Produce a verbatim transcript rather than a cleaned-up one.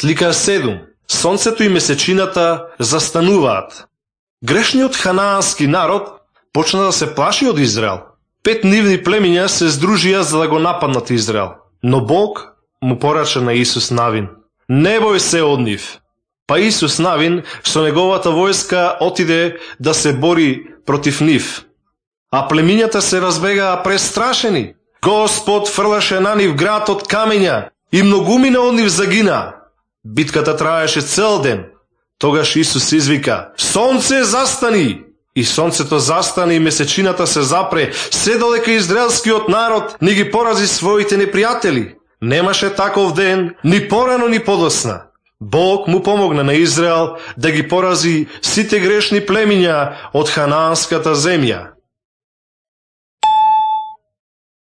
Слика седум. Сонцето и месечината застануваат. Грешниот ханаански народ почна да се плаши од Израел. Пет нивни племиња се здружија за да го нападнат Израел. Но Бог му порача на Исус Навин: не бој се од нив. Па Исус Навин со неговата војска отиде да се бори против нив. А племињата се разбегаа престрашени. Господ фрлаше на нив град од камења и многумина од нив загина. Битката траеше цел ден. Тогаш Исус извика: сонце, застани! И сонцето застани и месечината се запре, се додека израелскиот народ не ги порази своите непријатели. Немаше таков ден, ни порано ни подосна. Бог му помогна на Израел да ги порази сите грешни племиња од ханаанската земја.